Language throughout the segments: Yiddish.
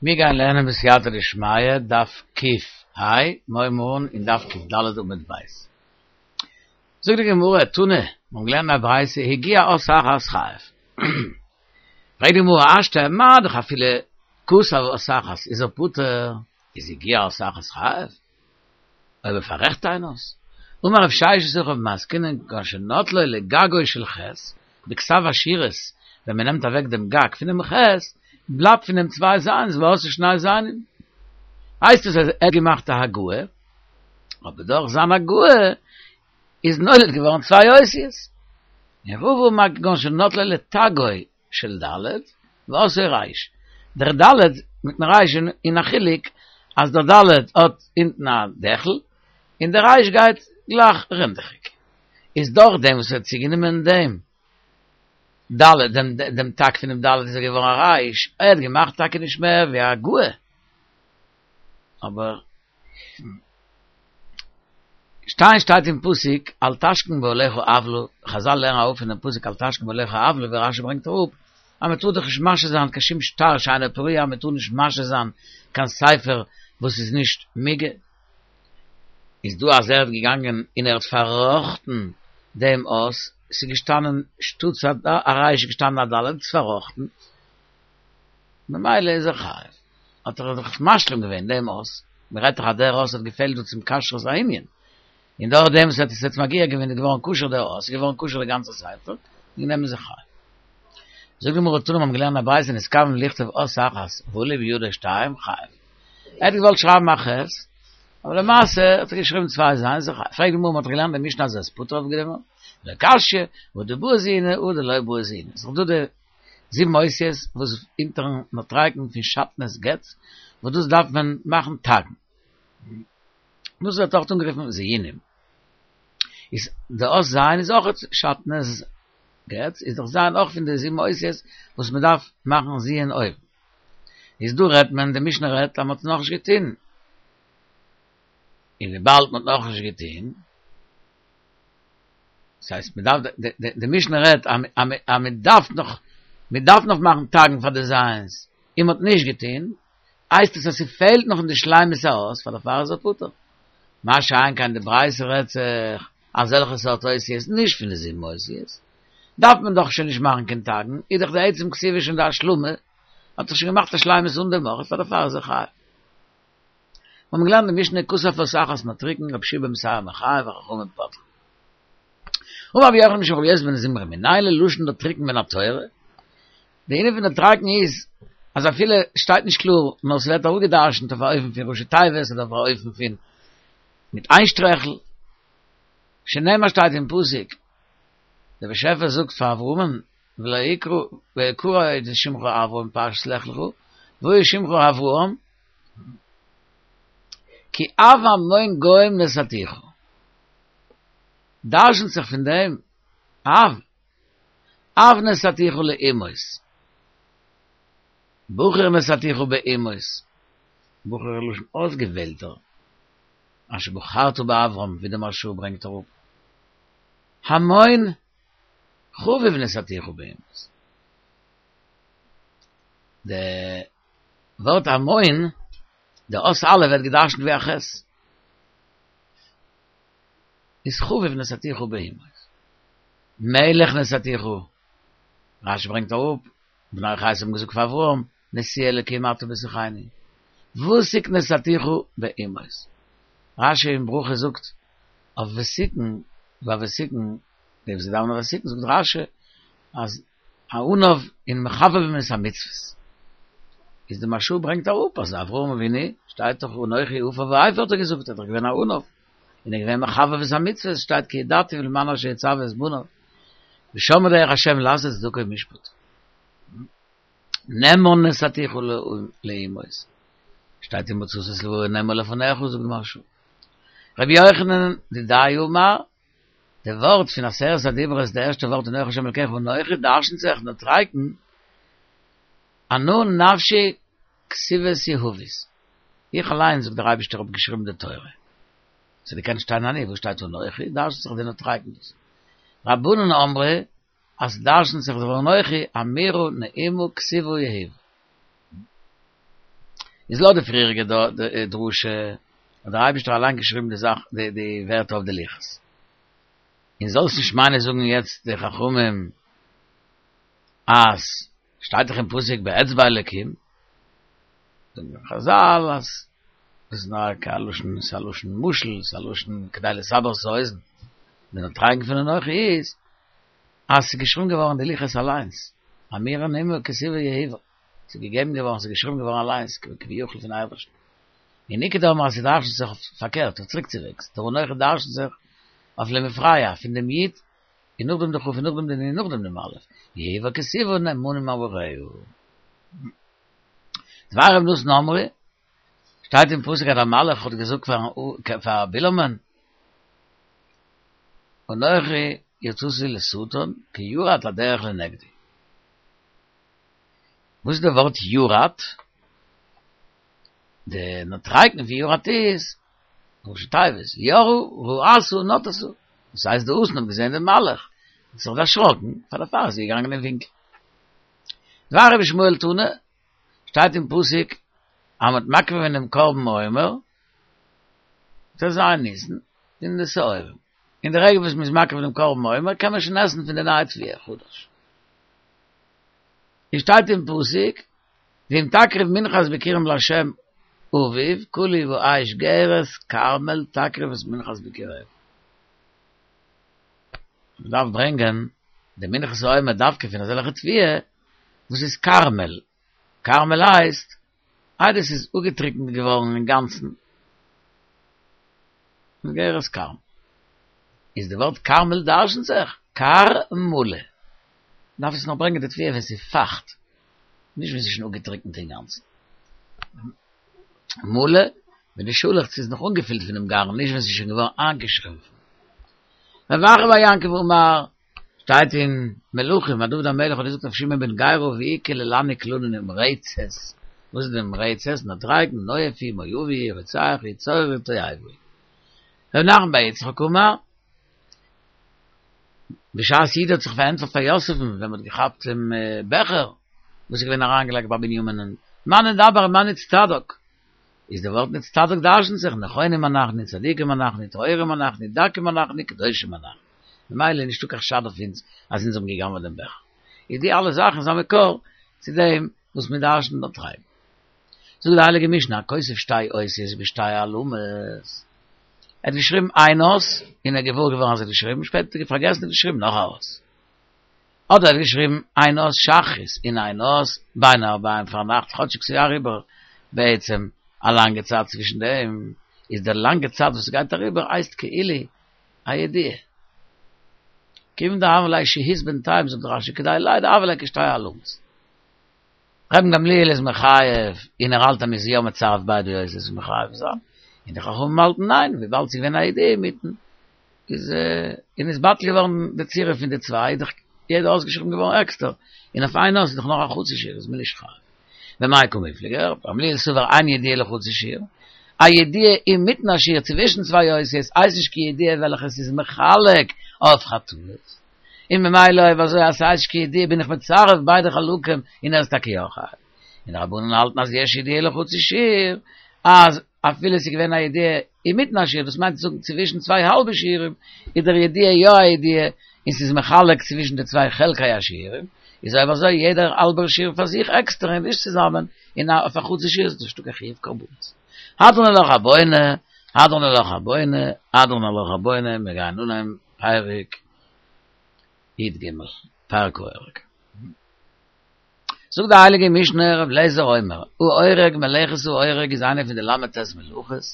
מיר גייען לערנען בסייעתא דשמיא דף ק"ה, מיר הייבן אן אין דף ק"ד עמוד ב'. זאגט די גמרא, תנא, מיר האבן געלערנט א ברייתא, הגיהה אות אחת חייב. פרעגט די גמרא, השתא מה דאך אפילו כתב אות אחת איז ער פטור, איז הגיהה אות אחת חייב? אויב ער פאררעכט איין אות. אמר רב ששת הכא במאי עסקינן כגון שנטלו לגגו של ח' בכתב השורות, ווען מען נעמט אוועק דעם גג פונעם ח', בלייבט פון דעם צוויי זיינס ועשאו שני זיינים. הייסט עס אז ער האט געמאכט א הגהה, אבער דורך זיין הגהה איז נולד געווארן צוויי אותיות. און רבא אמר כגון שנטלו לתגו של ד' ועשאו ריש. דער ד' מיטן ריש איז א חילוק אז דער ד' האט אונטן א דעכל און דער ריש גייט גלייך רינדעכיג. איז דורך דעם וואס ער האט צוגענומען דעם ד' דעם דעם תג פונעם ד' איז ער געווארן א ריש, ער האט געמאכט טאקע נישט מער ווי א הגהה אבער שטיין שטייט אין פסוק אל תשכין באהליך עוולה, חזל לערנען אראפ פונעם פסוק אל תשכין באהליך עוולה ווי רשי ברענגט אראפ אז מען טאר דאך נישט משהה זיין קיין שום שטר שאינו פרוע, מען טאר נישט משהה זיין קיין ספר וואס איז נישט מוגה, איז דא אז ער האט געגאנגען און ער האט פארראכטן דעם אות, ס'איז געשטאנען שטאטס א ריש איז געשטאנען א ד', ס'איז פארראכטן. ממילא איז ער חייב. האט ער דאך משלים געווען דעם אות, מען רעדט דאך אז דער אות האט געפעלט דא צום כשרות הענין, און דורך דעם וואס ער האט עס יעצט מגיה געווען איז געווארן כשר דער אות, איז געווארן כשר די גאנצע ספר, וועגן דעם איז ער חייב. זאגט די גמרא תנא מיר האבן געלערנט א ברייתא נתכוון לכתוב אות אחת ועלו בידו שתיים חייב. ער האט געוואלט שרייבן א ח', אבער למעשה האט ער געשריבן צוויי ז', איז ער חייב. פרעגט די גמרא מען האט דאך געלערנט אין משנה אז ער איז פטור אויף דעם, לא קשיא, הא דבעי זיוני הא דלא בעי זיוני. ס'איז דאך דא די זיבן אותיות וואס אונטערן נוטריקון פון שעטנז גץ, וואס דאס דארף מען מאכן תגין. דאס ווערט אויך אנגערופן זיונים. איז די אות ז' איז אויך שעטנז גץ, איז דאך ז' אויך פון די זיבן אותיות וואס מען דארף מאכן זיון אויבן. איז דא רעדט מען, די משנה רעדט אז מען האט עס נאכנישט געטון. און וויבאלד מען האט נאכנישט געטון, דאס הייסט מען דארף די משנה רעדט אז מען דארף נאך מען דארף נאך מאכן תגין פאר די זיינס און מען האט נישט געטון, הייסט עס אז ס'פעלט נאך אין די שלימות האות פאר דערפאר איז ער פטור. מה שאין כן די ברייתא רעדט זיך אזעלכע סארט אותיות נישט פון די זיבן אותיות דארף מען דאך שוין נישט מאכן קיין תגין, איז דאך די עצם כתיבה שוין די השלמה, האט זיך שוין געמאכט א שלימות אן דעם אויך פאר דערפאר איז ער חייב. מיר האבן געלערנט די משנה כתב אות אחת נוטריקון רבי יהושע בן בתירא מחייב וחכמים פוטרין. אמר רבי יוחנן משום רבי יוסי בן זמרא מנין ללשון נוטריקון מן התורה? די ענין פון נוטריקון איז אז אפילו שטייט נישט קלאר נאר ס'ווערט אראפגעדרשנט אויף א אופן פון ראשי תיבות אדער אויף א אופן פון מיט איין שטרעכל, שנאמר שטייט אין פסוק דער באשעפער זאגט פאר אברהמ'ן ולא יקרא ויקרא עוד שמך אברם פרשת לך לך והיה שמך אברהם כי אב המון גוים נתתיך. דרשנ'ט זיך פון דעם אב, אב נתתיך לאומות. בחור נתתיך באומות. בחור איז לשון אויסגעוועלטער. אשר בחרת באברהם, ווי דער מהרש"א ברענגט אראפ. המון חביב נתתיך באומות. די ווארט המון, די אות א' ווערט געדרשנט ווי א ח'. איז חביב נתתיך באומות. מלך נתתיך. רש"י ברענגט אראפ, בני חת האבן געזאגט פאר אברהם, נשיא אלקים אתה בתוכנו. ותיק נתתיך באומות. רש"י אין ברכות זאגט אויף ותיקין, ביי ותיקין, די וואס דאווענען ותיקין זאגט רש"י אז א עניו און מחבבין את המצוות. איז די מהרש"א ברענגט אראפ אז אברהם אבינו שטייט דאך אנכי עפר ואפר האט ער געזאגט ער איז דאך געווען א עניו און ער איז געווען מחבב את המצוות שטייט כי ידעתיו למען אשר יצוה את בניו ושמרו דרך השם לעשות צדקה ומשפט. נאמן נתתיך לאומות. שטייט ומצאת את לבבו נאמן לפניך זאגט די מהרש"א. רבי יוחנן דידיה אמר די ווארט פון עשרת הדיברות די ערשטע ווארט אנכי השם אלקיך אנכי דרשנ'ט זיך נוטריקון אנא נפשי כתיבת יהבית איך אליין זאגט דער אייבישטער האב געשריבן די תורה ס'האט געקענט שטיין אני וואס שטייט אנכי דרשנ'ט זיך די נוטריקון דאס רבנן אמרי אז דרשנ'ט זיך די אנכי אמירה נעימה כתיבה יהיב. איז לויט די פריעריגע דרשה האט דער אייבערשטער אליין געשריבן די זאך די ווערטער אויף די לוחות. און זאלסט נישט מיינען זאגן יעצט די חכמים אז שטייט דאך אין פסוק באצבע אלקים, זאגן די חזל אז דאס איז נאר א לשון, ס'איז א לשון משל, ס'איז א לשון כדי לסבר את האוזן, די נוטריקון פון אנכי איז אז ס'איז געשריבן געווארן די לוחות אליינס, אמירה נעימה כתיבה יהיבה, ס'איז געגעבן געווארן, ס'איז געשריבן געווארן אליינס, כביכול פון אייבערשטן. און איכא דאמרי אז ס'דרש'נט זיך אויף פארקערט, אויף צוריקצווועגס, דער אנכי דרש'נט זיך אויף למפרע, פון דעם י' און נאכדעם די כ' און נאכדעם די נ' און נאכדעם דעם א', יהיבה כתיבה נאמנים אמריה. דבר ר' נתן אמרו, שטייט אין פסוק אז דער מלאך האט געזאגט פאר בלעמ'ן, אנכי יצאתי לשטן כי ירד לדרך לנגדי. וואס איז די ווארט ירד? די נוטריקון פון ירד איז ראשי תיבות, יראה ראתה נטתה, דאס הייסט די אתון האט געזען דעם מלאך, האט זיך דערשראקן, פאר דערפאר איז זי געגאנגען אין ווינקל. דבר רבי ישמעאל תנא, שטייט אין פסוק אז מ'האט מקריב געווען דעם קרבן עומר, ט"ז ניסן, אין די שעורים, אין די רגע וואס מ'איז מקריב דעם קרבן עומר קען מען שוין עסן פון די נייע תבואה חדש. עס שטייט אין פסוק, ואם תקריב מנחת ביכורים לה' אביב, קלוי באש גרש כרמל תקריב את מנחת ביכורים. מען דארף ברענגען די מנחת העומר דווקא פון אזעלכע תבואה וואס איז כרמל, כרמל הייסט איידער ס'איז אפגעטריקנט געווארן אינגאנצן, גרש כרמל. איז די ווארט כרמל דרשנ'ט זיך כר מלא. דארף עס נאר ברענגען די תבואה ווען ס'איז פייכט, נישט ווען ס'איז שוין אפגעטריקנט אינגאנצן. מלא, ווען די שאלעכץ איז נאך אנגעפילט פונעם גרעין, נישט ווען ס'איז שוין געווארן איינגעשרומפן. רב אחא בר יעקב אמר, שטייט אין מלכים אז דוד המלך האט געזאגט אויף שמעי בן גרא והוא קללני קללה נמרצת, וואס איז די נמרצת? נוטריקון, נואף הוא, מואבי הוא, רוצח הוא, צורר הוא, תועבה הוא. ר' נחמן בר יצחק אמר, בשעת יהודה האט זיך פארענטפערט פאר יוסף'ן ווען מ'האט געכאפט דעם בעכער וואס איז געווען אריינגעלייגט ביי בנימינ'ן, מה נדבר מה נצטדק? איז די ווארט נצטדק דרשנ'ט זיך נכונים אנחנו, צדיקים אנחנו, טהורים אנחנו, דקים אנחנו, קדושים אנחנו. ממילא איז נישטא קיין חשד אויף אונז אז אונז האבן גע'גנב'עט דעם בעכער. איז די אלע זאכן איז א מקור צו דעם וואס מיר דרש'נען נוטריקון. זאגט די הייליגע משנה הכותב שתי אותיות בשתי העלמות. ער האט געשריבן איין אות און ער איז געוואר געווארן אז ער האט געשריבן, שפעטער האט ער פארגעסן און געשריבן נאך א אות. אדער ער האט געשריבן איין אות שחרית און איין אות בין הערביים פארנאכט כאטשיג ס'איז אריבער בעצם א לאנגע צייט צווישן דעם, איז די לאנגע צייט וואס ס'גייט אריבער הייסט כאילו א ידיעה. כיוון דהוה ליה שהות בינתיים זאגט רש"י כדאי ליה דהוה ליה כשתי העלמות. רבן גמליאל איז מחייב און ער האלט אז מ'איז יא מצרף ביידע אותיות איז מחייב זיין, און די חכמים האלטן ניין וויבאלד ס'איז געווען א ידיעה אינמיטן איז און איז בטל געווארן די צירוף פון די צוויי איז דאך יעדע אות געשריבן געווארן עקסטער, און אויף איין אות איז דאך נאר א חצי שיעור איז מען נישט חייב. במאי קמיפלגי, רבן גמליאל סבר אין ידיעה אלא חצי שיעור, א ידיעה אינמיטן א שיעור צווישן צוויי אותיות הייסט נישט קיין ידיעה וועלכע עס איז מחלק אויף חטאות, און ממילא אויב אזוי אז ס'הייסט נישט קיין ידיעה בין איך מצרף ביידע חלקים און ער איז טאקע יא חייב. און די רבנן האלטן אז יש ידיעה אלא חצי שיעור, אז אפילו ס'איז געווען א ידיעה אינמיטן א שיעור, דאס מיינט צו זאגן צווישן צוויי האלבע שיעורים, איז דער ידיעה יא א ידיעה און ס'איז מחלק צווישן די צוויי חלקי השיעורים, איז אויב אזוי יעדער האלבער שיעור פאר זיך עקסטער און נישט צוזאמען, און אויף א חצי שיעור איז נישטא קיין חיוב קרבנות. הדרן עלך הבונה, הדרן עלך הבונה, הדרן עלך הבונה, מיר גייען אנהייבן פרק י"ג, פרק האורג. זאגט די הייליגע משנה ר' אליעזר אומר, האורג מלאכת האורג איז איינע פון די ל"ט מלאכות,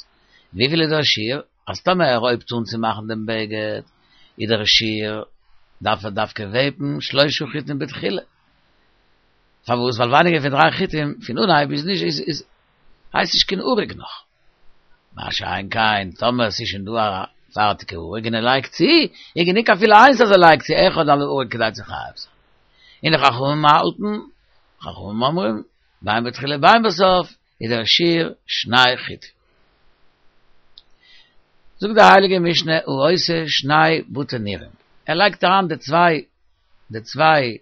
וויפיל איז דער שיעור? אז טאמער ער הויבט אן צו מאכן דעם בגד איז דער שיעור דארף ער דווקא וועבן שלושה חוטין בתחילה, פארוואס? ווייל ווייניגער פון דריי חוטין פון אנהייב איז נישט איז הייסט נישט קיין אריג נאך. מה שאין כן טאמער ס'איז שוין דא א פארטיגע אריג און ער לייגט צו, איז גענוג אפילו איינס אז ער לייגט צו אחד על האריג כדי צו חייב זיין. און די חכמים האלטן, חכמים אומרים, בין בתחילה בין בסוף, איז דער שיעור שני חוטין. זאגט די הייליגע משנה העושה שני בתי נירים, ער לייגט אריין די צוויי די צוויי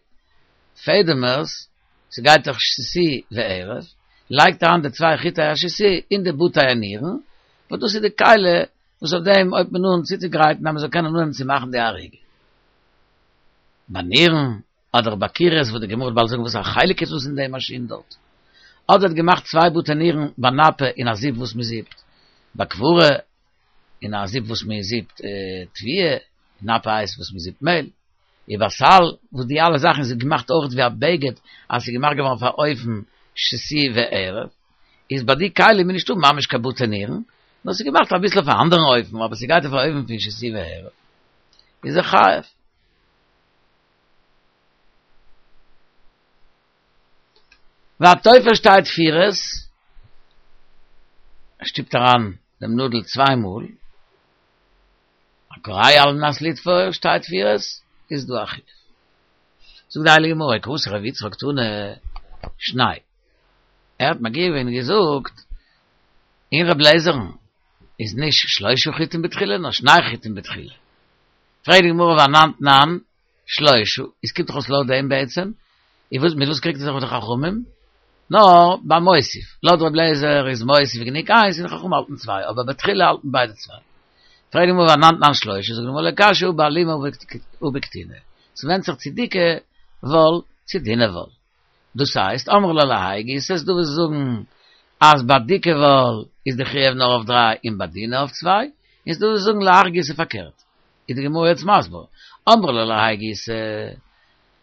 פעדעמערס, ס'גייט דאך שתי וערב, לייגט אריין די צוויי חוטי השתי אין די בתי הנירין, וואס דאס איז די כלי וואס אויף דעם הויבט מען אן צוצוגרייטן אז מען זאל קענען אנהויבן צו מאכן די אריגה. ביי נירן, אדער ביי קירות וואס די גמרא וועט באלד זאגן וואס א חלק איז דאס אין די מאשין דארט. אדער האט געמאכט צוויי בתי נירן ביי נפה אין א זיפ וואס מען זיפט ביי כברה, אין א זיפ וואס מען זיפט תבואה, נפה הייסט וואס מען זיפט מעהל, ובסל, וואס די אלע זאכן איז געמאכט אויך ווי א בגד אז ס'איז געמאכט געווארן פאר אופן שתי וערב, איז ביי די כלים איז נישטא ממש קיין בתי נירן, נאר ס'איז געמאכט אביסל אויף א אנדערן אופן, אבער ס'גייט אויף א אופן פון שתי וערב, איז ער חייב. והתופר שתי תפירות, ער שטופט אריין דעם נאדל צוויי מאל, הקורע על מנת לתפור שתי תפירות, איז דא א חיוב. זאגט די הייליגע גמרא, כוותיה דרבי יצחק תנא שני, ער האט מגיה געווען און געזאגט, אין רב לעזער'ן איז נישט שלושה חוטין בתחילה נאר שני חוטין בתחילה. פרעגט די גמרא והאנן תנן, שלושה, איז קומט דאך אויס לויט דעם בעצם, איז וואס מיט וואס קריגט ער זיך מיט די חכמים? נאר ביי מוסיף, לויט ר' אליעזר איז מוסיף גענוג איינס און די חכמים האלטן צוויי, אבער בתחילה האלטן ביידע צוויי. פרעגט די גמרא והאנן תנן שלושה, זאגט די גמרא לא קשיא הא באלימא הא בקטינה, ס'ווענדט זיך צו דיקע וואל צו דינע וואל. דאס הייסט, אמרי לה להאי גיסא, ס'איז דא וואס זאגן אז ביי דיקע וואל איז די חיוב נאר אויף דריי און ביי דינע אויף צוויי, און ס'איז דא וואס זאגן להך גיסא פארקערט. איז די גמרא יעצט מסביר, אמרי לה להאי גיסא,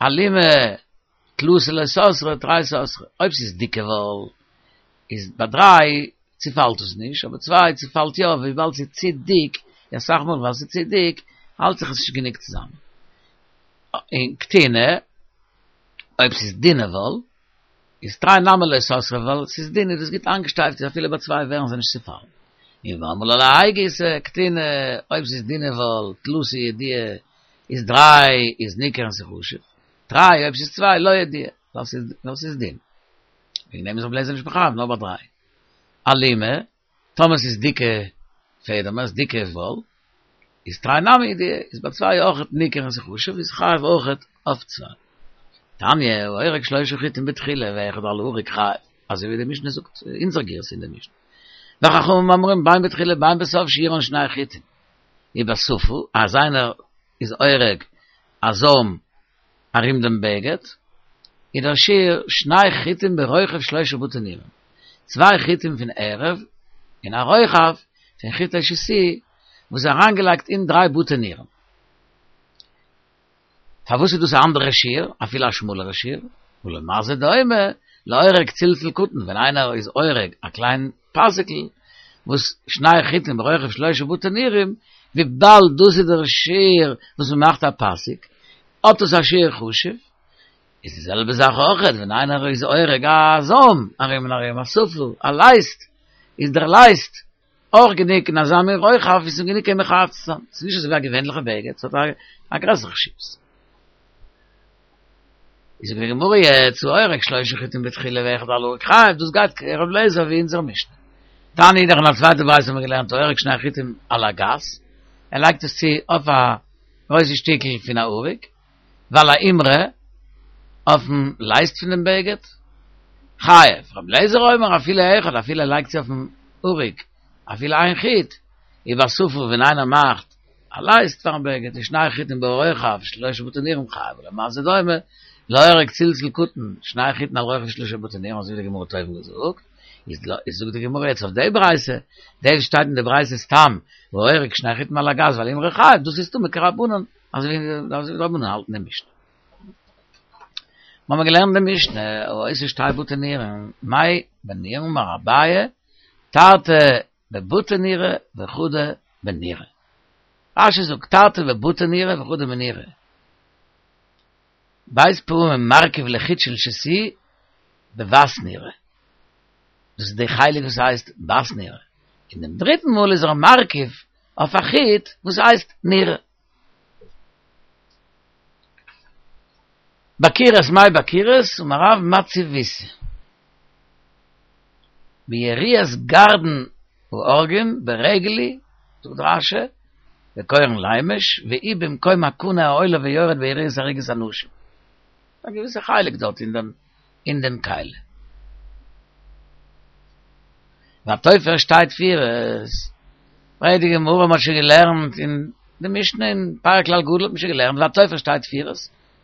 אלימא תלתא לא סתרי תרי סתרי, אויב ס'איז דיקע וואל איז ביי דריי צופאלט עס נישט, אבער צוויי צופאלט יא, וויבאלד ס'איז צו דיק, און אסאך מאל ווייל ס'איז צו דיק האלט זיך עס נישט גענוג צוזאמען. און קטינה, אויב ס'איז דינע וואל, איז תרי נמי לא סתרי ווייל ס'איז דין איז דאס גוט איינגעשטייפט איז אפילו ביי צוויי ווערן זיי נישט צופאלן. און ואמרי לה להאי גיסא קטינה אויב ס'איז דינע וואל תלתא ידיעי איז דריי איז ניכר און ס'איז חשוב, תרי אויב ס'איז צוויי לא ידיעי ווייל ס'איז דין. וועגן דעם איז רבי אליעזר נישט מחייב נאר ביי דריי. אלימא טאמער ס'איז דיקע פעדעמער, ס'איז דיקע וואל, איז תרי נמי ידיעי, איז ביי צוויי אויכעט ניכר און ס'איז חשוב, איז חייב אויכעט אויף צוויי. תניא, האורג שלושה חוטין בתחילה ואחד על האריג חייב, אזוי ווי די משנה זאגט, אונזער גירסא אין די משנה. וחכמים אומרים בין בתחילה בין בסוף שיעורן שני חוטין. ובשפה, אז איינער איז אורג א זוים ארום דעם בגד, איז דער שיעור שני חוטין ברוחב שלושה בתי נירים, צוויי חוטין פון ערב און א רוחב פון חוטי שתי וואס איז אריינגעלייגט אין דריי בתי נירים. פארוואס איז דאס א אנדערע שיעור, אפילו א שמאלערע שיעור? ולמה זה דומה לאורג צלצול קטן, ווען איינער איז אורג א קליין פאסיקל, וואס שני חוטין ברוחב שלושה בתי נירים, וויבאלד דאס איז דער שיעור וואס מען מאכט א פאסיק, האט עס א שיעור חשוב, איז די זעלבע זאך אויכעט ווען איינער איז אורג א זוים ארום און ארום א שפה, א לייסט, איז דער לייסט אויך גענוג אין אזא מין רוחב ווי ס'איז גענוג אים מחייב צו זיין, ס'איז נישט אזוי ווי א געווענליכע בגד, ס'האט א גרעסערע חשיבות. איז זאגט די גמרא יעצט האורג שלושה חוטין בתחילה ואחד על האריג חייב, דאס גייט כר' אליעזר ווי אונזער משנה. תניא אידך אין א צווייטע ברייתא האבן מיר געלערנט האורג שני חוטין על הגס, ער לייגט עס צו אויף א גרויסע שטיקל פון א אריג, ועל האימרא, אויפן לייסט פון דעם בגד, חייב, ר' אליעזר אומר אפילו אחד, אפילו ער לייגט צו אויפן אריג אפילו איין חוט, ובשפה ווען איינער מאכט א לייסט פארן בגד איז שני חוטין ברוחב שלושה בתי נירים חייב, ולמה זה דומה לאורג צלצול קטן שני חוטין על רוחב שלושה בתי נירים אזוי ווי די גמרא האט אויבן געזאגט, איז זאגט די גמרא יעצט אויף די ברייתא, דאס וואס שטייט אין די ברייתא סתם האורג שני חוטין על הגס ועל האימרא חייב, דאס איז סתמא כרבנן, אזוי ווי די רבנן האלטן די משנה. מיר האבן געלערנט די משנה, העושה שתי בתי נירין, מאי בינייהו אמר אביי, תרתי בבתי נירא וחדא בנירא. רש"י זאגט תרתי בבתי נירא וחדא בנירא. ב' פעמים מרכיב לחוט של שתי בבת נירא. דאס איז די חלק וואס הייסט בת נירא. און דעם דריטן מאל איז ער מרכיב אויף א חוט וואס הייסט נירא. בקירות מאי בקירות אמר רב מציביתא. ביריעת גרדין האורגין ברגל היא, זאגט רש"י, וקורין לימש, והיא במקום הקנה העולה ויורד ביריעת אריגת הנשים. א געוויסע חלק דארט אין דעם אין דעם כלי. והתופר שתי תפירות, פרעגט די גמרא מ'האט שוין געלערנט אין די משנה אין פרק כלל גדול האט מען שוין געלערנט והתופר שתי תפירות,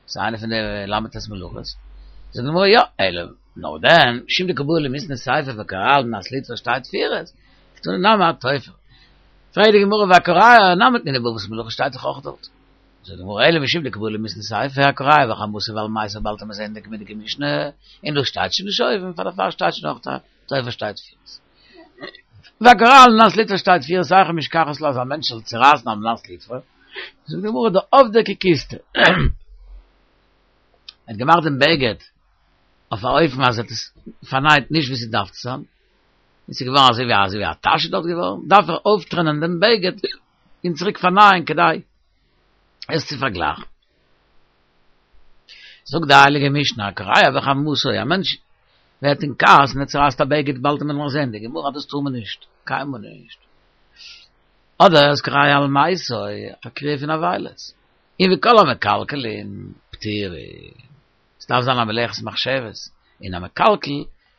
ס'איז איינע פון די ל"ט מלאכות, זאגט די גמרא יא, אלא נאר דען, משום דקא בעי למיתני סיפא והקורע על מנת לתפור שתי תפירות, קתני נמי התופר. פרעגט די גמרא והקורע נמי תנינא באבות מלאכה שטייט דאך אויך דארט. זאגט די גמרא אלא משום דקא בעי למיתני סיפא הקורע בחמתו ועל מתו באלד וועט מען זען אין די קומענדיגע משנה, און דא שטייט שוין נישט אויבן פאר דערפאר שטייט שוין אויך התופר שתי תפירות. והקורע על מנת לתפור שתי תפירות היכי משכחת לה אז א מענטש זאל צורייסן על מנת לתפור, זאגט די גמרא דעבדיה ככיסתא. ער האט געמאכט דעם בגד אויף א אופן אז ער האט עס פארנייט נישט ווי ס'דארף צו זיין, און ס'איז געווארן אזוי ווי אזוי ווי א טאש איז דארט געווארן, דארף ער אויפטרענען דעם בגד און צוריק פארנייען כדי עס צו פארגלייכן. זאגט די הייליגע משנה, הקורע בחמתו, א מענטש ווערט אין כעס און ער צורייסט א בגד, באלד וועט מען נאך זען די גמרא אז דאס טאר מען נישט, קיינמאל נישט. אדער איז קורע על מתו, א קריעה פון אבילות. און וכל המקלקלין פטורין. עס דארף זיין א מלאכת מחשבת, און א מקלקל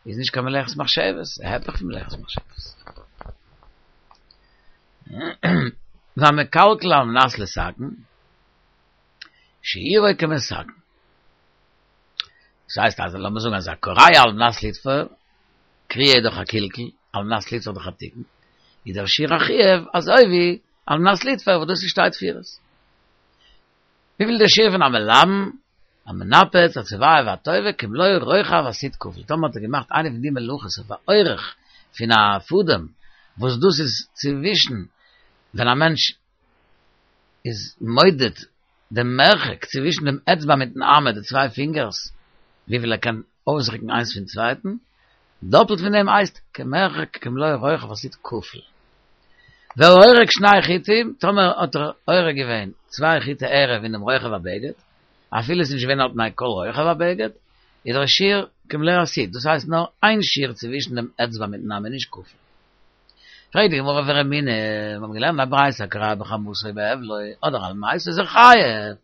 איז נישט קיין מלאכת מחשבת, היפך פון מלאכת מחשבת. והמקלקל על מנת לתקן, שיעורו כמתקן. דאס הייסט אז לאמיר זאגן אז הקורע על מנת לתפור, קריעה איז דאך א קלקול, על מנת לתפור דאך א תיקון, איז דער שיעור החיוב אזוי ווי על מנת לתפור וואס דאס איז שתי תפירות. וויפיל דער שיעור פון א מלבן, א מנפץ, א צובע והטווה, כמלוא רוחב הסיט כפול. טאמער האט ער געמאכט איינע פון די מלאכות אויף א אורך פון א פאדעם, וואס דאס איז צווישן ווען א מענטש איז מודד דעם מרחק צווישן דעם אצבע מיטן אמה, די צוויי פינגערס, וויפיל ער קען אויסרוקן איינס פון צווייטן, דאפלט פון דעם הייסט כמרחק כמלוא רוחב הסיט כפול. והאורג שני חוטים, טאמער האט ער אורג געווען צוויי חוטי ערב אין דעם רוחב הבגד, אפילו עס איז נישט געווען על פני כל רוחב הבגד, איז דער שיעור כמלוא הסיט, דאס הייסט נאר איין שיעור צווישן דעם אצבע מיטן אמה, נישט כפול. פרעגט די גמרא ורמינהי, מיר האבן געלערנט א ברייתא הקורע בחמתו בהבלו אדער על מתו איז ער חייב,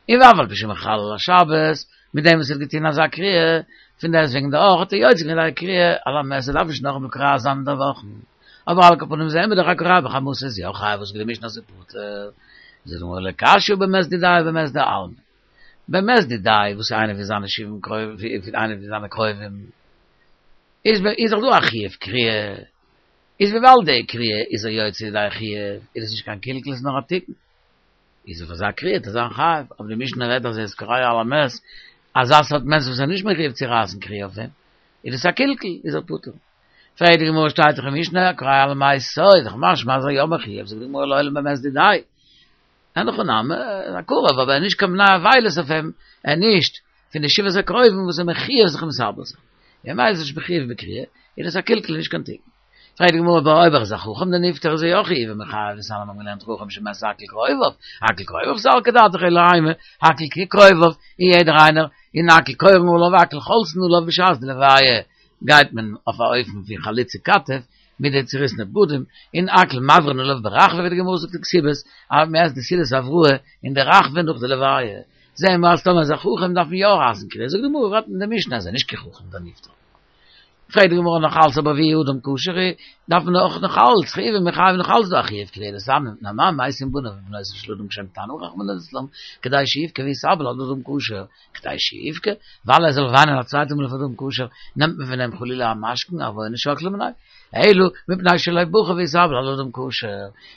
און ואף על פי שמחלל השבת, מיט דעם וואס ער האט געטון אזא קריעה, פון דעסטוועגן דאך האט ער יוצא געווען די קריעה על המת, ער דארף נישט נאכאמאל קורע זיין אינדערוואכן, אבער על כל פנים זעהן מיר דאך הקורע בחמתו איז יא חייב וואס זאגט די משנה אז ער פטור, זאגט די גמרא לא קשיא הא במת דידיה הא במת דעלמא, במת דידיה וואס איז איינער פון זיינע שבעה קרובים, איינער פון זיינע קרובים. איז איז דאך דא א חיוב קריעה, איז וויבאלד די קריעה איז ער יוצא ידי חיוב, איז עס נישט קיין קלקול עס איז נאר א תיקון, איז אויף אזא קריעה וועט ער זיין חייב, אבער די משנה רעדט אז ער איז קורע על המת, אזא סארט מענטש וואס איז נישט מחויב צו רייסן קריעה אויף דעם, איז עס א קלקול, איז ער פטור. פרעגט די גמרא שטייט דאך אין משנה הקורע על מתו, איז דאך משמע אז ער יא מחויב, זאגט די גמרא לעולם במת דידיה, אין הכי נמי, א קרוב אבער ער איז נישט קיין בני אבילות אויף אים, ער איז נישט פון די שבעת הקרובים וואס איז מחויב זיך מתאבל זיין. ממילא איז נישט מחויב בקריעה, איז דאס א קלקול נישט קיין תיקון. פרעגט די גמרא אבער אויב ער איז א חכם די נפטר איז ער יא חיובי מיחייב דתניא מיר האבן געלערנט חכם שמת הכל קרוביו, הכל קרוביו סלקא דעתך אלא אימא, הכל כקרוביו, און יעדער איינער, און הכל קורין עליו הכל חולצין עליו בשעת די לוויה גייט מען אויף א אופן פון חלוצי כתף, מיט די צוריסענע בגדים, און הכל מברין עליו ברחבה ווי די גמרא זאגט אין כתובות, אז מען עסט די סעודת הבראה אין די רחבה נאך די לוויה. זעהן מיר אז טאמער איז א חכם דארף מען יא רייסן קריעה, זאגט די גמרא רעדט אין די משנה אז ער איז נישט קיין חכם דער נפטר. פרעגט די גמרא נאך אלץ אבער ואי אדם כשר הוא, דארף מען אויך נאך אלץ חיובי מיחייב נאך אלץ דא א חיוב קריעה דתניא מפני מה מתים בניו ובנותיו של אדם כשהם קטנים רחמנא ליצלן כדי שיבכה ויתאבל על אדם כשר, כדי שיבכה, ווייל ער זאל וויינען א צווייטע מאל אויף אדם כשר, נעמט מען פון אים חלילה א משכון, עוונות שקלא מיניה. אלא, מפני שלא בכה והתאבל על אדם כשר,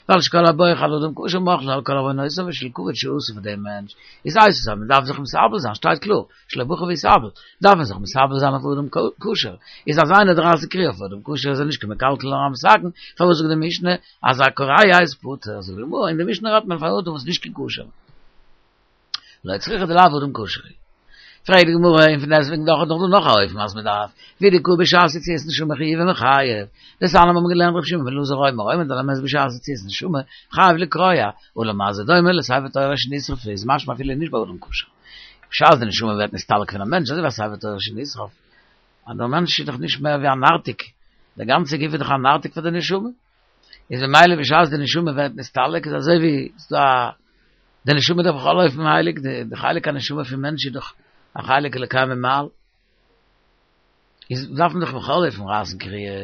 ווייל שכל הבוכה על אדם כשר מוחלין לו על כל עוונותיו בשביל כבוד שעשה פאר דעם מענטש, איז הייסט עס אז מען דארף זיך מתאבל זיין, שטייט קלאר, שלא בכה והתאבל, דארף מען זיך מתאבל זיין אויף אדם כשר, איז אז איינער רייסט קריעה אויף אדם כשר איז ער נישט קיין מקלקל נאר א מתקן, פארוואס זאגט די משנה אז הקורע איז פטור, זאגט די גמרא, אין די משנה רעדט מען פון אדם וואס איז נישט קיין כשר. לא צריכא דלאו אדם כשר. פרעגט די גמרא, און פון דעסטוועגן דאך איז דאך דא נאך א אופן אז מען דארף, והוא דקאי בשעת יציאת נשמה חיובי מיחייב. דתניא מיר האבן געלערנט רבי שמעון בן אלעזר אומר, העומד על המת בשעת יציאת נשמה, חייב לקרוע, ולמה זה דומה לספר תורה שנשרף איז משמע אפילו נישט ביי אדם כשר. בשעת די נשמה ווערט נסתלק פון א מענטש, אזוי ווי א ספר תורה שנשרף, אז דער מענטש איז דאך נישט מער ווי א נרתיק, דער גאנצער גוף איז דאך א נרתיק פאר די נשמה. איז ממילא בשעת די נשמה ווערט נסתלק איז אזוי ווי ס'איז דא א די נשמה איז דאך בכל אופן הייליג, די חלק הנשמה פון מענטש איז דאך א חלק אלוקי ממעל, איז דארף מען דאך בכל אופן רייסן קריעה.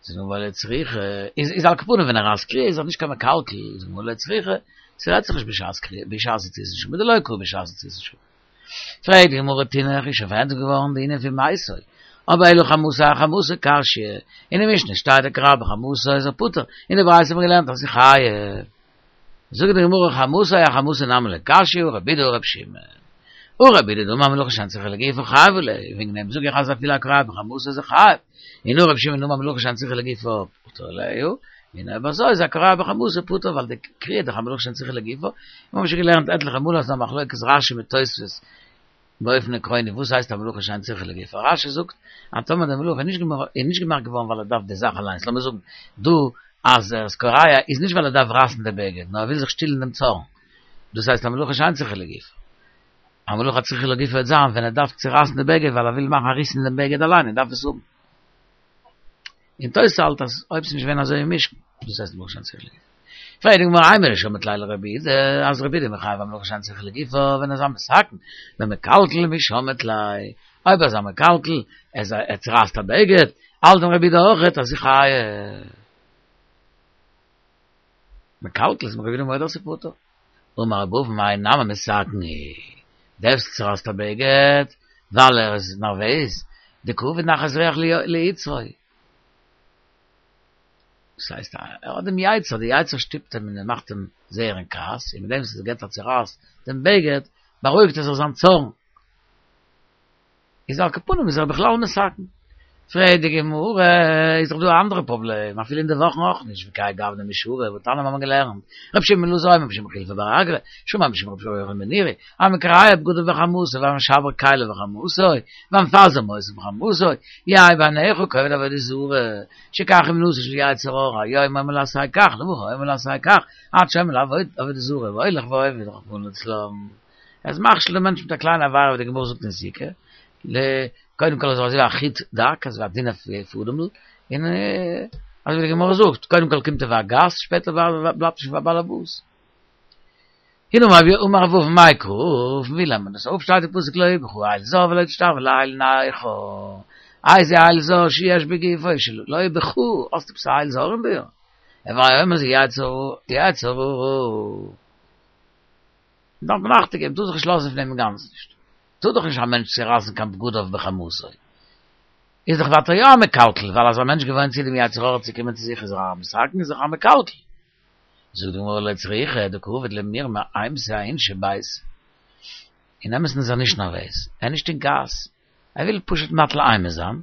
זאגט די גמרא לא צריכא, איז איז על כל פנים ווען ער רייסט קריעה איז ער נישט קיין מקלקל, זאגט די גמרא לא צריכא, ס'רעדט זיך נישט בשעת קריעה, בשעת יציאת נשמה, דלא קרא בשעת יציאת נשמה. פרעגט די גמרא תינח איז שוין פארענטפערט געווארן די ענין פון מתו, אבער אלא חמתו אחמתו קשיא, אין די משנה שטייט הקורע בחמתו איז ער פטור, אין די ברייתא האט מען געלערנט אז ס'איז חייב. זאגט די גמרא חמתו אחמתו נמי לא קשיא הא רבי יהודה הא רבי שמעון. הא רבי יהודה דאמר מלאכה שאין צריכה לגופה חייב עליה, וועגן דעם זאג איך אז אפילו הקורע בחמתו איז ער חייב, און הא רבי שמעון דאמר מלאכה שאין צריכה לגופה פטור עליה, און אויב אזוי איז הקורע בחמתו פטור ווייל די קריעה איז דאך א מלאכה שאין צריכה לגופה, מיר האבן שוין געלערנט עטליכע מאל אז ס'איז א מחלוקת רשי מיט תוספות באופן עקרוני וואס הייסט א מלאכה שאין צריכה לגופה, רשי זאגט אז טאמער די מלאכה איז נישט געמאכט געווארן ווייל ער דארף די זאך אליינס, לאמיר זאגן דא אז ער איז קורע איז נישט ווייל ער דארף רייסן די בגד נאר ער וויל זיך שטילן דעם צארן, דאס הייסט א מלאכה שאין צריכה לגופה. א מלאכה הצריכה לגופה וועט זיין ווען ער דארף צורייסן די בגד ווייל ער וויל מאכן א ריס אין דעם בגד אליין ער דארף עס האבן. און תוס' האלט אז אויב ס'איז נישט געווען אזוי אין משכן, דאס הייסט מלאכה שאין צריכה לגופה. פרעגט די גמרא אימא דשמעת ליה לרבי יהודה, אז רבי יהודה מחייב א מלאכה שאין צריכה לגופה ווען ער איז א מתקן, במקלקל מי שמעת ליה, אויב ער איז א מקלקל, ער צורייסט א בגד, האלט דען רבי יהודה אויכעט אז ס'איז חייב. מקלקל איז רבי יהודה מודה אז ס'איז פטור. אמר רב אבין האי נמי מתקן הוא, דער וואס צורייסט א בגד ווייל ער איז נערוועז, דקא עביד נחת רוח ליצרו. דאס הייסט ער האט דעם יצר, די יצר שטופט אים און ער מאכט אים זייער אין כעס, און מיט דעם וואס ער געבט א צורייס דעם בגד, בארואיגט ער זיך זיין צארן. איז על כל פנים איז ער בכלל מתקן. פרעגט די גמרא, איז דאך דא א אנדערע פראבלעם, אפילו אין די וואכן אויך נישט, וכהאי גוונא משארי, והתניא האבן מיר געלערנט, רבי שמעון בן אלעזר אומר משום רבי חילפא בר אגרא, שמע משום רבי יוחנן בן נורי, המקרע בגדיו בחמתו והמשבר כליו בחמתו, והמפזר מותניו בחמתו, יהא בעיניך כעובד עבודה זרה, שכך אומנותו של יצר הרע, היום אומר לו עשה כך, למחר אומר לו עשה כך, עד שאומר לו עבוד עבודה זרה, והולך ועובד רחמנא לצלן. ער איז מכשיל דעם מענטש מיט א קליינע עבירה ווי די גמרא זאגט אין סוכה, קודם כל אזוי ווי א חוט דק, אזוי ווי א דינע פאדעמל, און אזוי ווי די גמרא זאגט, קודם כל קומט ער ווי א גאסט, שפעטער בלייבט ער שוין פאר באלעבאס. הנה אמר רב אבין מאי קרא, פון ווי לערנט מען דאס אפ? שטייט אין פסוק לא יהיה בך אל זר ולא תשתחוה לאל נכר, איזה אל זר שיש בגופו של לא יהיה בך, האסט עפעס א אל זר אין דיר? הוי אומר זה יצר הרע. דארף מען אכטונג געבן, טאר זיך נישט לאזן פון דעם אינגאנצן נישט. טאר דאך נישט א מענטש צורייסן קיין בגדיו בחמתו. איז דאך ווייטער יא א מקלקל, ווייל אז א מענטש געוואוינט צו דעם יצר הרע צו קומען צו זיך איז ער א מתקן, איז דאך א מקלקל. זאגט די גמרא לא צריכא דקא עביד למירמא אימתא אאינשי ביתיה. אין אמת'ן איז ער נישט נערוועז, ער איז נישט אין כעס, ער וויל פשוט מטיל אימה זיין,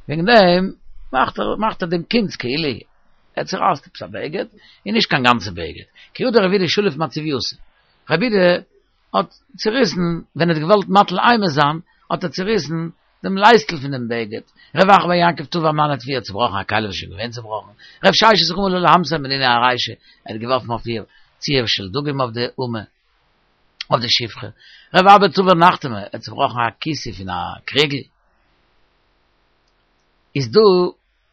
וועגן דעם מאכט ער מאכט ער דעם קונץ כאילו ער צורייסט עפעס א בגד, און נישט קיין גאנצע בגד, כי הא דרב יהודה שליף מצבייתא, רב יהודה האט צוריסן, ווען ער האט געוואלט מטיל אימה זיין, האט ער צוריסן דעם לייסטל פון דעם בגד, רב אחא בר יעקב תבר מנא טפי האט צובראכן א כלי וואס איז שוין געווען צובראכן, רב ששת רמא לה להמתיה מנענועי ארישא, ער האט געווארפן אויף איר ציר של דגים אויף די אמה. אויף די שפחה. רב אבא תבר נחתמא, ער האט צובראכן א כיסוי פון א קריגל. איז דא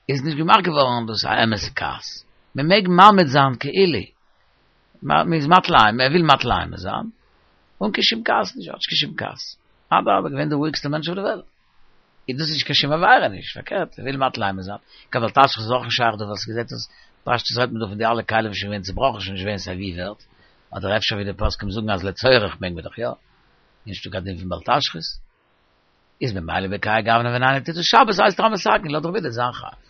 איז נישט געמאכט געווארן דאס א אמת'ע כעס. מען מעג ממעיט זיין כאילו. מען איז מטיל אימה, ער וויל מטיל אימה זיין. אן קיין שום כעס נישט, האט נישט קיין שום כעס. אדרבה, געווען די רואיגסטע מענטש אויף די וועלט. איז דאס נישט קיין שום עבירה נישט, פארקערט, ער וויל מטיל אימה זיין. קיין בל תשחית איז אויך נישט שייך דא ווייל ס'געזעט אויס פשטות רעדט מען דא פון די אלע כלים וואס שוין געווען צובראכן שוין נישט געווען סיי ווי ווערט. אדער אפשר ווי די פוסקים זאגן אז לצורך מעג מען דאך יא, נישטא קיין דין פון בל תשחית, איז ממילא בכהאי גוונא ווען איינער טוט עס שבת הייסט ער א מתקן לויט רב יהודה זיין חייב.